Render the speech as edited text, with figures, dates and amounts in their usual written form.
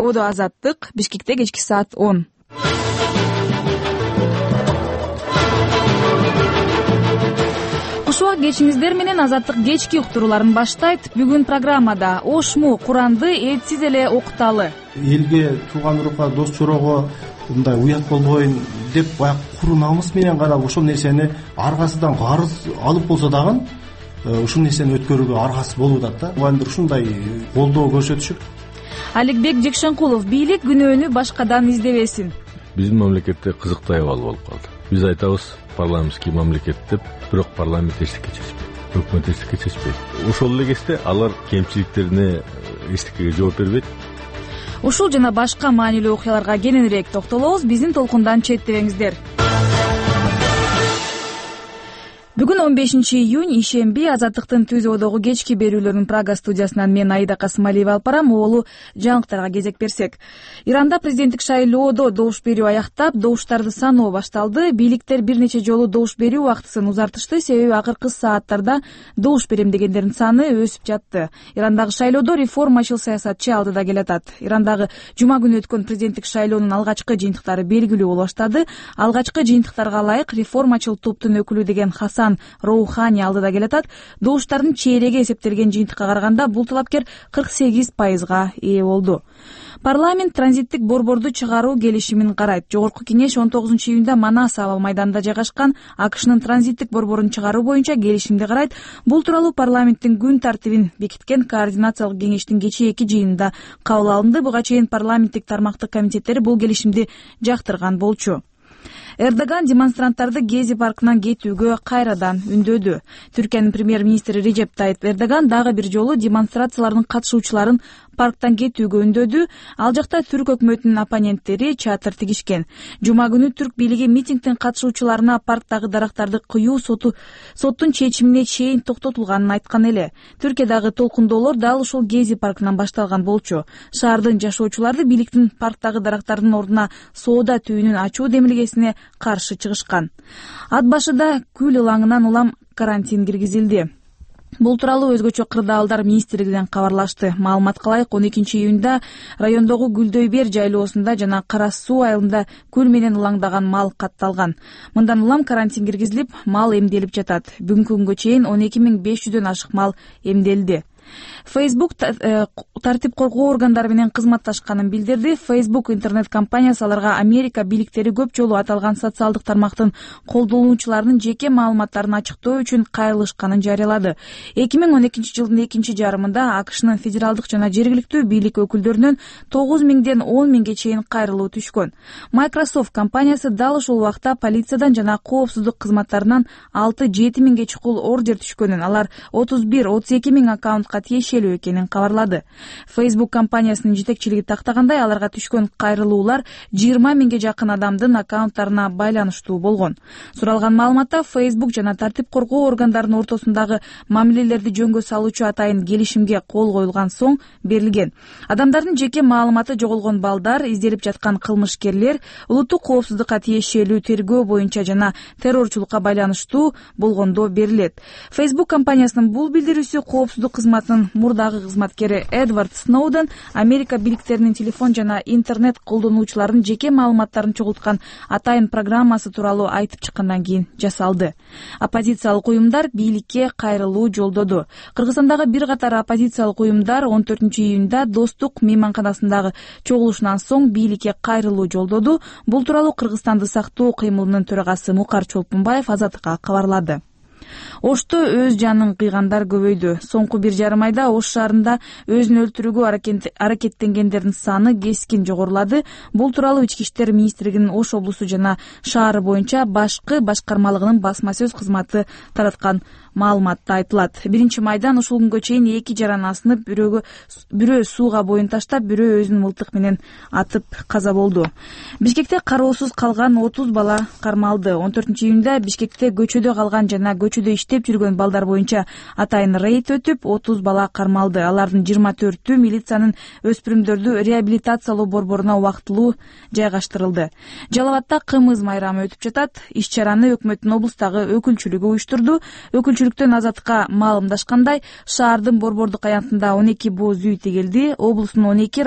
Одо Азаттык, Бишкекте кечки саат 10. Кушубак кечиңиздер менен Азаттык кечки уктурууларын баштайт. Бүгүн программада Ошму Куранды этсиз эле окуталы. Элге, тууган урукка, дос чорого мындай уят болбойн деп баягы куру намыс менен карап ошол нерсени аргасынан карыз алып болсо дагы ушул нерсени өткөрүүгө аргасы болуп атат да. Мугалимдер ушундай колдоо көрсөтүшүп. Аликбек Жекшенкулов: бийлик күнөөнү башкадан издебесин. Биздин мамлекетте кызыктуу абал болуп калды. Биз айтабыз парламентский мамлекет деп, бирок парламент эчтеке чечпейт, өкмөт эчтеке чечпейт. Ошол эле кезде алар кемчиликтерине эчтекеге жооп бербейт. Ушул жана башка маанилүү окуяларга кененирээк токтолобуз. Биздин толкундан четтебеңиздер. Бүгүн 15-июнь ишемби. Азаттыктын Түз Одогу кечки берүүлөрүнүн Прага студиясынан мен Аида Касымалиева алып барам. Оолу жаңылыктарга кезек берсек. Иранда президенттик шайлоодо добуш берүү аяктап, добуштарды саноо башталды. Бийликтер бир нече жолу добуш берүү убактысын узартышты, себеби акыркы сааттарда добуш берем дегендердин саны өсүп жатты. Ирандагы шайлоодо реформачыл саясатчы алдыда келатат. Ирандагы жума күнү өткөн президенттик шайлоонун алгачкы жыйынтыктары белгилүү боло баштады. Алгачкы жыйынтыктарга ылайык реформачыл топтун өкүлү деген Хасан Роухани алдыда келатат. Добуштардын чейреги эсептелген жыйынтыкка караганда бул талапкер 48%га ээ болду. Парламент транзиттик борборду чыгаруу келишимин карайт. Жогорку кеңеш 19-июнда Манас аба майданында жайгашкан АКШнын транзиттик борборун чыгаруу боюнча келишимди карайт. Бул тууралуу парламенттин күн тартибин бекиткен координациялык кеңештин кечээки жыйынында кабыл алынды. Буга чейин парламенттик тармактык комитеттери бул келишимди жактырган болчу. Эрдоган демонстранттарды Гези паркынан кетүүгө кайрадан үндөдү. Түркиянын премьер-министри Режеп Тайип Эрдоган дагы бир жолу демонстрациялардын катышуучуларын парктан кетүүгө үндөдү. Ал жакта түрк өкмөтүнүн оппоненттери чатыр тигишкен. Жума күнү түрк бийлиги митингдин катышуучуларына парктагы дарактарды кыюу соттун чечимине чейин токтотулганын айткан эле. Түркиядагы толкундоолор дал ушул Гези паркынан башталган болчу. Шаардын жашоочулары бийликтин парктагы дарактардын ордуна соода түйүнүн ачуу демилгесине каршы чыгышкан. Ат башыда күл ылаңынан улам карантин киргизилди. Бул тууралуу өзгөчө кырдаалдар министрлигинен кабарлашты. Маалыматка ылайык 12-июнда райондогу Гүлдөйбер жайлоосунда жана Кара Суу айылында күл менен ылаңдаган мал катталган. Мындан улам карантин киргизилип, мал эмделип жатат. Бүгүнкү күнгө чейин 12500дөн ашык мал эмделди. Facebook тартип коргоо органдары менен кызматташканын билдирди. Facebook интернет компаниясы аларга Америка бийликтери көп жолу аталган социалдык тармактын колдонуучуларынын жеке маалыматтарын ачыктоо үчүн кайрылышканын жарыялады. 2012 жылдын экинчи жарымында АКШнын федералдык жана жергиликтүү бийлик өкүлдөрүнөн 9000ден 10.000ге чейин кайрылуу түшкөн. Microsoft компаниясы дал ушул убакта полициядан жана коопсуздук кызматтарынан 6-7.000ге чукул ордер түшкөнүн, алар 31-32 миң аккаунтка тиешелүү экенин кабарлады. Facebook компаниясынын жетекчилиги тактагандай, аларга түшкөн кайрылуулар 20 миңге жакын адамдын аккаунттарына байланыштуу болгон. Суралган маалыматта Facebook жана тартип коргоо органдарынын ортосундагы мамилелерди жөнгө салуучу атайын келишимге кол коюлган соң берилген. Адамдардын жеке маалыматы жоголгон балдар, изделип жаткан кылмышкерлер, улуттук коопсуздукка тиешелүү тергөө боюнча жана террорчулукка байланыштуу болгондо берилет. Facebook компаниясынын бул билдирүүсү коопсуздук кызматынын мурдагы кызматкери Эдвард Сноуден Америка бийликтеринин телефон жана интернет колдонуучуларынын жеке маалыматтарын чогулткан атайын программасы тууралуу айтып чыккандан кийин жасалды. Оппозициялык уюмдар бийликке кайрылуу жолдоду. Кыргызстандагы бир катар оппозициялык уюмдар 14-июнда Достук мейманканасындагы чогулушунан соң бийликке кайрылуу жолдоду. Бул тууралуу Кыргызстанды сактоо кыймылынын төрагасы Мукар Чолпунбаев Азаттыкка кабарлады. Ошто өз жанын кыйгандар көбөйдү. Соңку 1,5 айда Ош шаарында өзүн өлтүрүүгө аракеттенгендердин саны кескин жогорулады. Бул тууралуу Ички иштер министрлигинин Ош облусу жана шаары боюнча башкы башкармалыгынын басма сөз кызматы тараткан маалыматта айтылат. 1-майдан ушул күнгө чейин 2 жаран асынып, бирөө сууга боюн таштап, бирөө өзүн мылтык менен атып каза болду. Бишкекте кароосуз калган 30 бала кармалды. 14-июнда Бишкекте көчөдө калган жана көчөдө иштеп жүргөн балдар боюнча атайын рейд өтүп, 30 бала кармалды. Алардын 24-ү милициянын өспүрүмдөрдү реабилитациялоо борборуна убактылуу жайгаштырылды. Жалал Абадта кымыз майрамы өтүп жатат. Иш-чараны өкмөттүн облустагы өкүлчүлүгү уюштурду. Өкүлчүлүктөн Азаттыкка маалымдашкандай, шаардын борбордук аянтында 12 бооз үй тегилди. Облустун 12